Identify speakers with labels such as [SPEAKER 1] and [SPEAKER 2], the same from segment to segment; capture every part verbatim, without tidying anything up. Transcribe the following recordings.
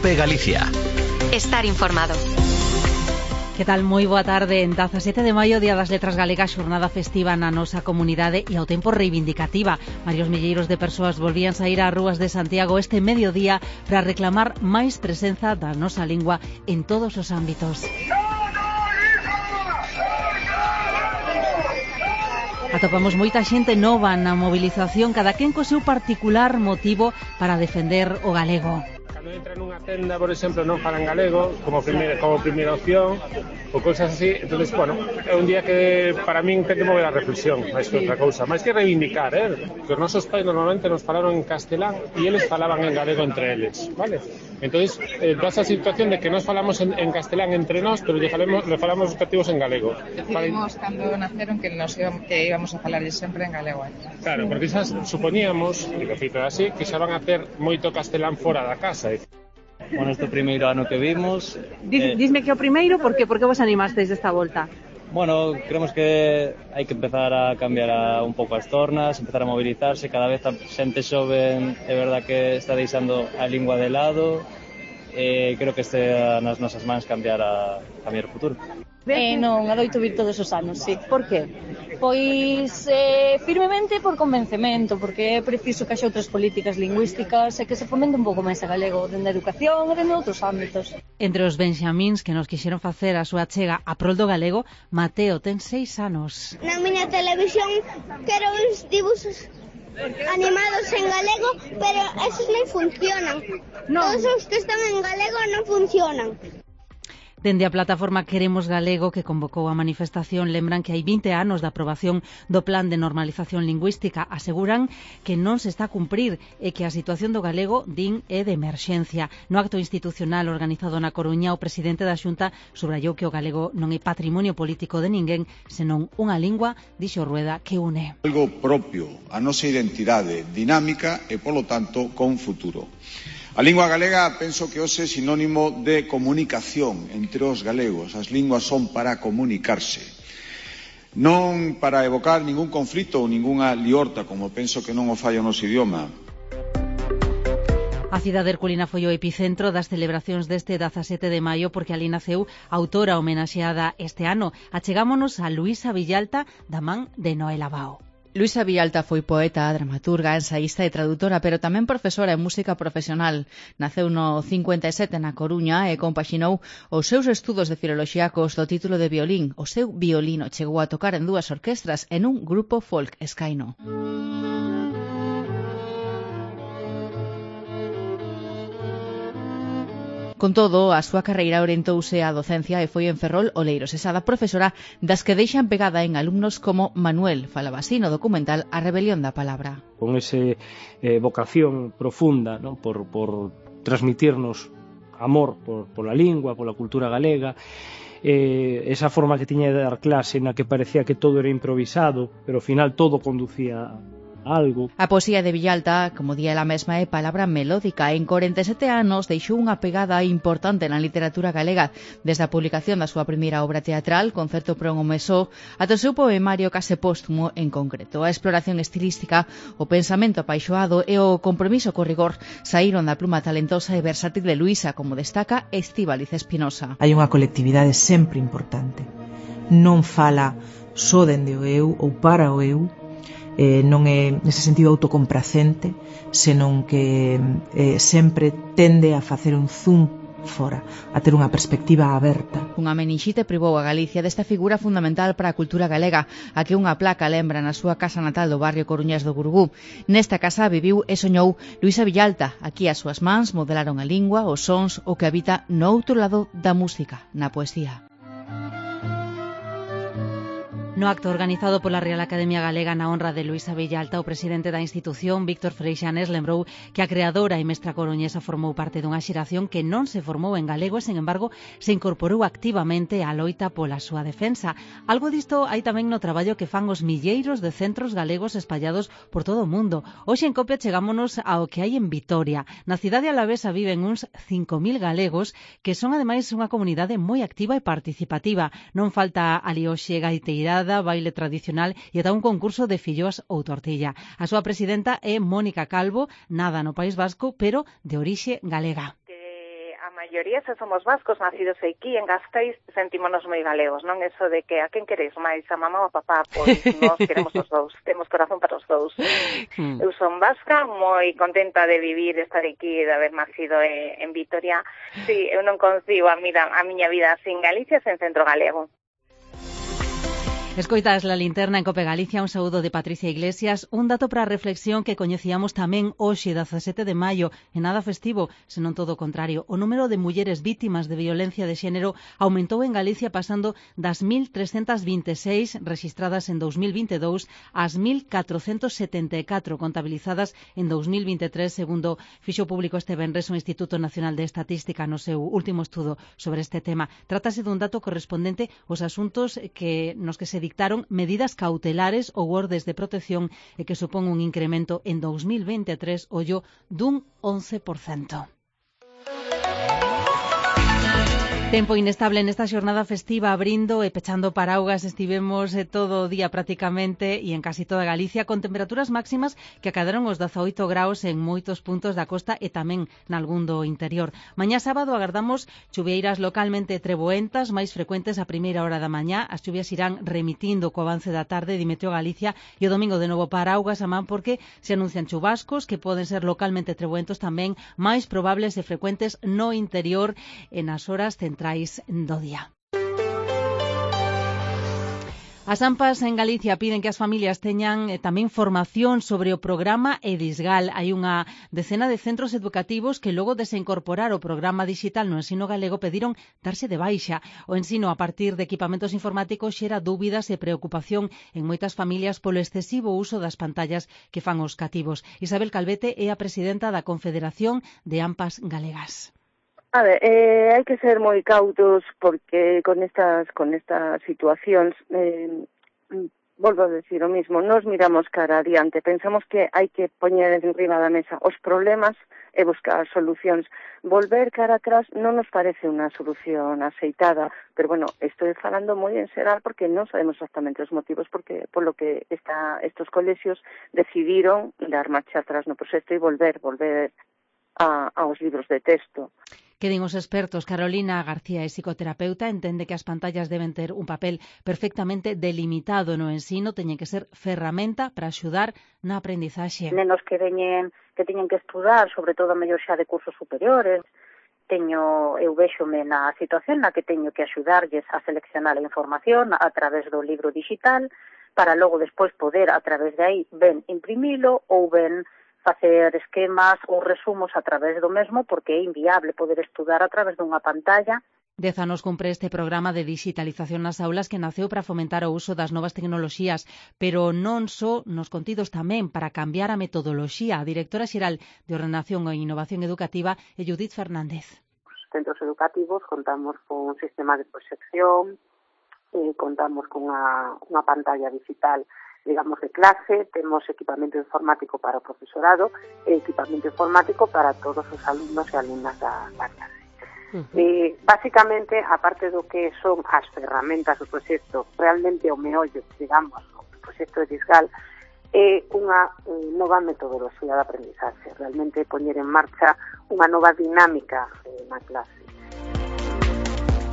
[SPEAKER 1] Cope Galicia.
[SPEAKER 2] Estar informado.
[SPEAKER 3] Que tal? Moi boa tarde. En dezasete de maio, Día das Letras Galegas, xornada festiva na nosa comunidade e ao tempo reivindicativa. Varios milleiros de persoas volvían saír ás rúas de Santiago este mediodía para reclamar máis presenza da nosa lingua en todos os ámbitos. Atopamos moita xente nova na movilización, cada quen co seu particular motivo para defender o galego.
[SPEAKER 4] Cando entra nunha tenda, por exemplo, non falan galego como primeira, como primeira opción ou cousas así, entonces, bueno, é un día que para min ten que mover a reflexión, máis que outra cousa, máis que reivindicar, eh? Que os nosos pais normalmente nos falaron en castelán e eles falaban en galego entre eles, vale? Entonces, eh, da esa situación de que nos falamos en, en castelán entre nós, pero lle falamos, le falamos os cativos en galego.
[SPEAKER 5] Decidimos cando naceron que nos íbamos, que íbamos a falar sempre en galego.
[SPEAKER 4] Claro, porque xa suponíamos, e de feito é así, que xa van a ter moito castelán fora da casa.
[SPEAKER 6] Bueno, este primeiro ano que vimos...
[SPEAKER 7] Dis, eh, Disme que o primeiro, por que, por que vos animasteis desta volta?
[SPEAKER 6] Bueno, creemos que hai que empezar a cambiar a, un pouco as tornas, empezar a movilizarse, cada vez a xente xoven, é verdad que está deixando a lingua de lado, e eh, creo que este nas nosas mans cambiar a cambiar o futuro.
[SPEAKER 8] Eh, non, adoito vir todos os anos, sí.
[SPEAKER 7] Por que?
[SPEAKER 8] Pois eh, firmemente por convencemento, porque é preciso que haxa outras políticas lingüísticas e que se fomente un pouco máis a galego dende a educación e dende outros ámbitos.
[SPEAKER 3] Entre os benxamíns que nos quixeron facer a súa chega a prol do galego, Mateo ten seis anos.
[SPEAKER 9] Na miña televisión quero uns dibuxos animados en galego, pero esos non funcionan. Non. Todos os que están en galego non funcionan.
[SPEAKER 3] Dende a plataforma Queremos Galego, que convocou a manifestación, lembran que hai vinte anos da aprobación do Plan de Normalización Lingüística. Aseguran que non se está a cumprir e que a situación do galego, din, é de emerxencia. No acto institucional organizado na Coruña, o presidente da Xunta subrayou que o galego non é patrimonio político de ninguén, senón unha lingua, dixo Rueda, que une.
[SPEAKER 10] Algo propio, a nosa identidade dinámica e, polo tanto, con futuro. A lingua galega penso que hoxe é sinónimo de comunicación entre os galegos. As linguas son para comunicarse, non para evocar ningún conflito ou ningunha liorta, como penso que non o fai o noso idioma.
[SPEAKER 3] A cidade herculina foi o epicentro das celebracións deste dezasete de maio porque ali naceu a autora homenaxeada este ano. Achegámonos a Luisa Villalta, da man de Noela Bao.
[SPEAKER 11] Luisa Villalta foi poeta, dramaturga, ensaísta e tradutora, pero tamén profesora en música profesional. Naceu no cincuenta e sete na Coruña e compaxinou os seus estudos de filoloxía cos do título de violín. O seu violino chegou a tocar en dúas orquestras e nun grupo folk escaino. Con todo, a súa carreira orientouse á docencia e foi en Ferrol, Oleiros, esa da profesora das que deixan pegada en alumnos como Manuel, falaba así no documental A Rebelión da Palabra.
[SPEAKER 4] Con ese eh, vocación profunda, ¿no? por, por transmitirnos amor por, por la lingua, por la cultura galega, eh, esa forma que tiña de dar clase na que parecía que todo era improvisado, pero ao final todo conducía algo.
[SPEAKER 11] A poesía de Villalta, como di ela mesma, é palabra melódica. En corenta e sete anos deixou unha pegada importante na literatura galega, desde a publicación da súa primeira obra teatral, Concerto para un home só, ata o seu poemario case póstumo en concreto. A exploración estilística, o pensamento apaixoado e o compromiso co rigor saíron da pluma talentosa e versátil de Luisa, como destaca Estíbaliz Espinosa.
[SPEAKER 12] Hai unha colectividade sempre importante. Non fala só dende o eu ou para o eu, Eh, non é nese sentido autocompracente, senón que eh, sempre tende a facer un zoom fora, a ter unha perspectiva aberta.
[SPEAKER 11] Unha menixite privou a Galicia desta figura fundamental para a cultura galega, a que unha placa lembra na súa casa natal do barrio coruñés do Gurugú. Nesta casa viviu e soñou Luisa Villalta. Aquí as súas mans modelaron a lingua, os sons, o que habita no outro lado da música, na poesía.
[SPEAKER 3] No acto organizado pola Real Academia Galega na honra de Luisa Villalta, o presidente da institución, Víctor Freixanes, lembrou que a creadora e mestra coruñesa formou parte dunha xeración que non se formou en galego e, sen embargo, se incorporou activamente á loita pola súa defensa. Algo disto hai tamén no traballo que fan os milleiros de centros galegos espallados por todo o mundo. Hoxe en Copia chegámonos ao que hai en Vitoria. Na cidade alavesa viven uns cinco mil galegos que son ademais unha comunidade moi activa e participativa. Non falta ali hoxe gaiteirada, baile tradicional e ata un concurso de filloas ou tortilla. A súa presidenta é Mónica Calvo, nada no País Vasco, pero de orixe galega.
[SPEAKER 13] Que
[SPEAKER 1] maioría, se somos vascos, nacidos aquí en Gasteiz, sentímonos moi galegos, non? Eso de que a quen queréis máis, a mamá ou a papá, pois nos queremos os dous, temos corazón para os dous. Mm. Eu son vasca, moi contenta de vivir, estar aquí, de haber nacido en Vitoria. Sí, eu non concibo a, mira, a miña vida sin Galicia, sen centro galego.
[SPEAKER 3] Escoitas La Linterna en Cope Galicia, un saúdo de Patricia Iglesias. Un dato para a reflexión que coñecíamos tamén hoxe, dezasete de maio, en nada festivo, senón todo o contrario. O número de mulleres vítimas de violencia de xénero aumentou en Galicia pasando das mil trescentas vinte e seis rexistradas en dos mil vinte e dous ás mil catrocentas setenta e catro contabilizadas en dos mil vinte e tres, segundo fixo público este venres o Instituto Nacional de Estatística no seu último estudo sobre este tema. Trátase dun dato correspondente aos asuntos que nos que se dictaron medidas cautelares ou ordes de protección e que supón un incremento en dos mil vinte e tres, ollo, dun once por cento. Tempo inestable nesta xornada festiva, abrindo e pechando paraugas, estivemos eh, todo o día prácticamente e en casi toda Galicia con temperaturas máximas que acadaron os dezaoito graus en moitos puntos da costa e tamén nalgún do interior. Mañá sábado agardamos chuvieiras localmente treboentas, máis frecuentes a primeira hora da mañá. As chuvias irán remitindo co avance da tarde de Meteo Galicia e o domingo de novo paraugas a man porque se anuncian chubascos que poden ser localmente treboentos tamén máis probables e frecuentes no interior e nas horas centrais do día. As AMPAs en Galicia piden que as familias teñan eh, tamén formación sobre o programa Edisgal. Hai unha decena de centros educativos que logo de se incorporar o programa digital no ensino galego pediron darse de baixa. O ensino a partir de equipamentos informáticos xera dúbidas e preocupación en moitas familias polo excesivo uso das pantallas que fan os cativos. Isabel Calvete é a presidenta da Confederación de AMPAs Galegas.
[SPEAKER 13] A ver, eh, hai que ser moi cautos porque con estas con estas situacións, eh, volvo a decir o mismo, nos miramos cara adiante, pensamos que hai que poñer enriba da mesa os problemas e buscar solucións. Volver cara atrás non nos parece unha solución aceitada, pero bueno, estou falando moi en xeral porque non sabemos exactamente os motivos porque polo que esta, estos colexios decidiron dar marcha atrás no proxecto e volver, volver a, aos libros de texto.
[SPEAKER 3] Que din os expertos? Carolina García é psicoterapeuta, entende que as pantallas deben ter un papel perfectamente delimitado no ensino, teñen que ser ferramenta para axudar na aprendizaxe.
[SPEAKER 14] Nenos que veñen, que teñen que estudar, sobre todo a mellor xa de cursos superiores, teño, eu véxome na situación na que teño que axudarlles a seleccionar a información a través do libro digital, para logo despois poder, a través de aí, ben imprimilo ou ben facer esquemas ou resumos a través do mesmo porque é inviable poder estudar a través dunha pantalla.
[SPEAKER 3] Dez anos cumpre este programa de digitalización nas aulas que naceu para fomentar o uso das novas tecnoloxías, pero non só nos contidos tamén para cambiar a metodoloxía. A directora xeral de Ordenación e Innovación Educativa é Judith Fernández.
[SPEAKER 15] Os centros educativos contamos con un sistema de proxección, eh, contamos con unha, unha pantalla digital digamos, de clase, temos equipamento informático para o profesorado e equipamento informático para todos os alumnos e alumnas da, da clase. Uh-huh. E, basicamente, aparte do que son as ferramentas do proxecto, realmente o meollo, digamos, o proxecto de Edisgal, é unha eh, nova metodoloxía de aprendizaxe, realmente poñer en marcha unha nova dinámica eh, na clase.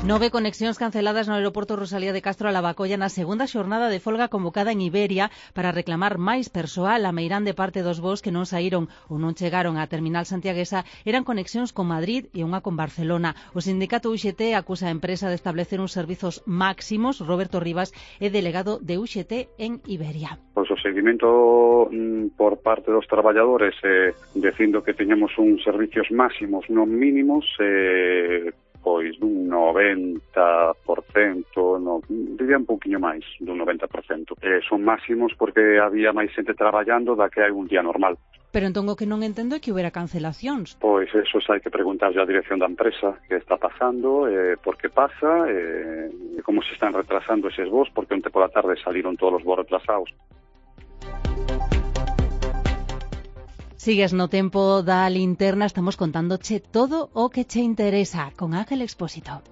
[SPEAKER 3] Nove conexións canceladas no aeroporto Rosalía de Castro a Lavacolla na segunda xornada de folga convocada en Iberia para reclamar máis persoal. A meirán de parte dos voos que non saíron ou non chegaron á terminal santiaguesa eran conexións con Madrid e unha con Barcelona. O sindicato U X T acusa a empresa de establecer uns servizos máximos. Roberto Rivas é delegado de U X T en Iberia.
[SPEAKER 16] Pois o seguimento mm, por parte dos traballadores eh, dicindo que teñamos uns servicios máximos non mínimos eh, pois dun noventa por cento, no, diría un pouquiño máis, dun noventa por cento. Eh, son máximos porque había máis xente traballando da que hai un día normal.
[SPEAKER 3] Pero entón o que non entendo é que houbera cancelacións.
[SPEAKER 16] Pois eso hai que preguntarlle á dirección da empresa que está pasando, eh, por que pasa, eh, como se están retrasando eses voos, porque onte pola tarde saliron todos os voos retrasados.
[SPEAKER 3] Sigues no tempo da linterna, estamos contándoche todo o que che interesa con Ángel Expósito.